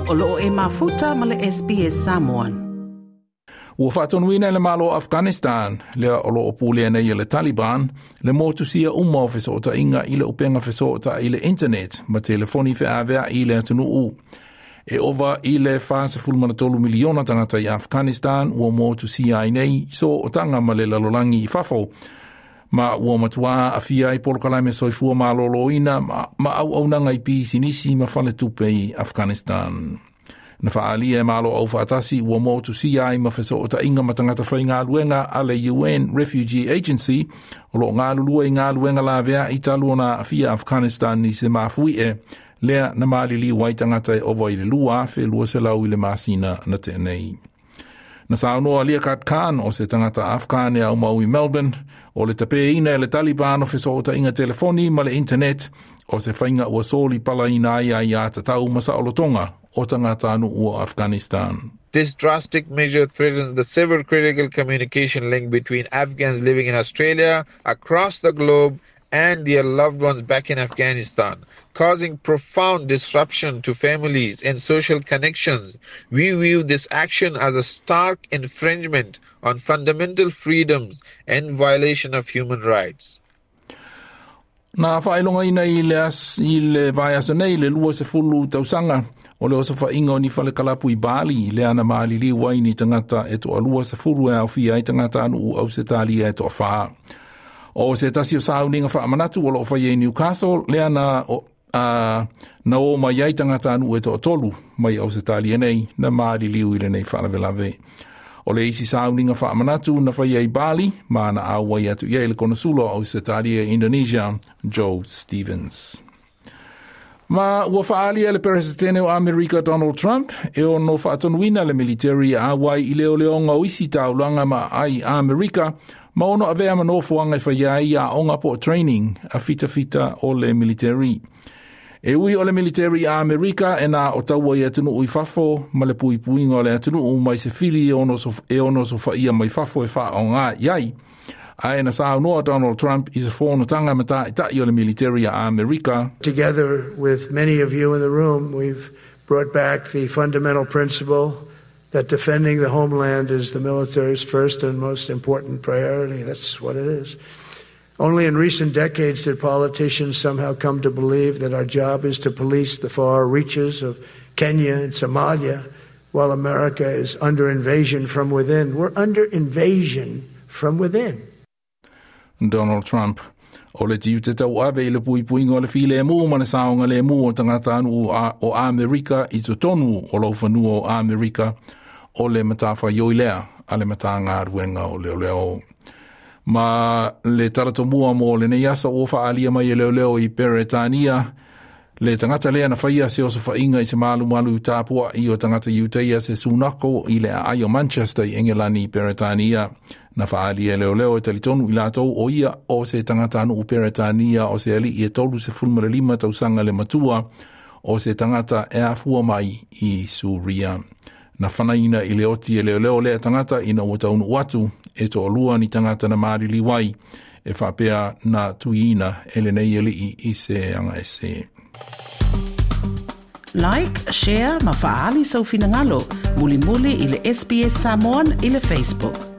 O loo e mafuta ma le SBS Samoan. Ua faatonuina e le Malo o Afghanistan, lea o loo pulea nei e le Taliban, le motusia uma o fesootaiga i le upega fesootai i le internet ma telefoni feaveai i le atunuu. E ova i le 43 miliona tagata i Afghanistan ua motusia ai nei sootaga ma le lalolagi i fafo, ma ua matuā aafia ai polokalame soifua malōlōina ma, ma auaunaga i pisinisi ma faletupe i Afghanistan. Na faaalia e Malo Aufaatasi ua motusia ai ma fesootaiga ma tagata faigaluega a le UN Refugee Agency o loo galulue i galuega laveai talu ona aafia Afghanistan i se mafuie lea na maliliu ai tagata e ova i le 2,200 i le masina na tea nei. Na saunoa Liaquat Khan o se tagata Afghan e aumau i Melbourne, o le tapeina e le Taliban o fesootaiga telefoni ma le internet o se faiga ua solipalaina ai aiatatau ma saolotoga o tagatanuu o Afghanistan. This drastic measure threatens the several critical communication link between Afghans living in Australia, across the globe, and their loved ones back in Afghanistan, causing profound disruption to families and social connections. We view this action as a stark infringement on fundamental freedoms and violation of human rights. Na faailogaina i le, as, i le vaiaso nei le 20 tausaga o le osofaiga o ni falekalapu i Bali lea na maliliu ai ni tagata e toa-20 e aofia ai tagatanuu Ausetalia e toa-4. O se tasi o sauniga faamanatu o loo faia i Newcastle lea na o, na o mai ai tagatanuu e toa-3 mai Ausetalia nei na maliliu i lenei faalavelave. O le isi sauniga faamanatu na faia i Bali ma na auai atu i ai le konosula o Ausetalia i Indonesia, Joe Stevens. Ma ua faaalia e le Peresetene o Amerika Donald Trump e ono faatonuina le military auai i leoleoga o isi taulaga ma aai Amerika ma ono avea ma nofoaga e faia ai aoga po o training a fitafita o le military. E ui o le military a Amerika e na o taua i atunuu i fafo ma le puipuiga o le atunuu mai se fili e ono, e ono sofaia mai fafo e faaoga i ai. Ae na saunoa Donald Trump i se fonotaga ma taitai o le military a Amerika. Together with many of you in the room, we've brought back the fundamental principle that defending the homeland is the military's first and most important priority. That's what it is. Only in recent decades did politicians somehow come to believe that our job is to police the far reaches of Kenya and Somalia while America is under invasion from within. We're under invasion from within. Donald Trump. O le tiute tauave i le puipuiga o le filemu ma le saogalemu o tagatanuu o Amerika i totonu o laufanua o Amerika o le matafaioi lea a le Matagaluega o Leoleo. Ma le tala tomua mo lenei aso ua faaalia mai e leoleo i Peretania le tagata lea na faia se osofaiga i se malumalu tapuai o tagata Iutaia se Sunako i le aai o Manchester i Engelani i Peretania. Na faaalia e leoleo e talitonu i latou o ia o se tagatanuu Peretania o se alii e 35 tausaga le matua o se tagata e afua mai i Suria. Na fanaina i le oti e leoleo lea tagata ina ua taunuu atu e toalua ni tagata na maliliu ai e faapea na tuiina e lenei alii i se agaese. Like, share ma faaali sou finagalo. Mulimuli i le SBS Samoan i le Facebook.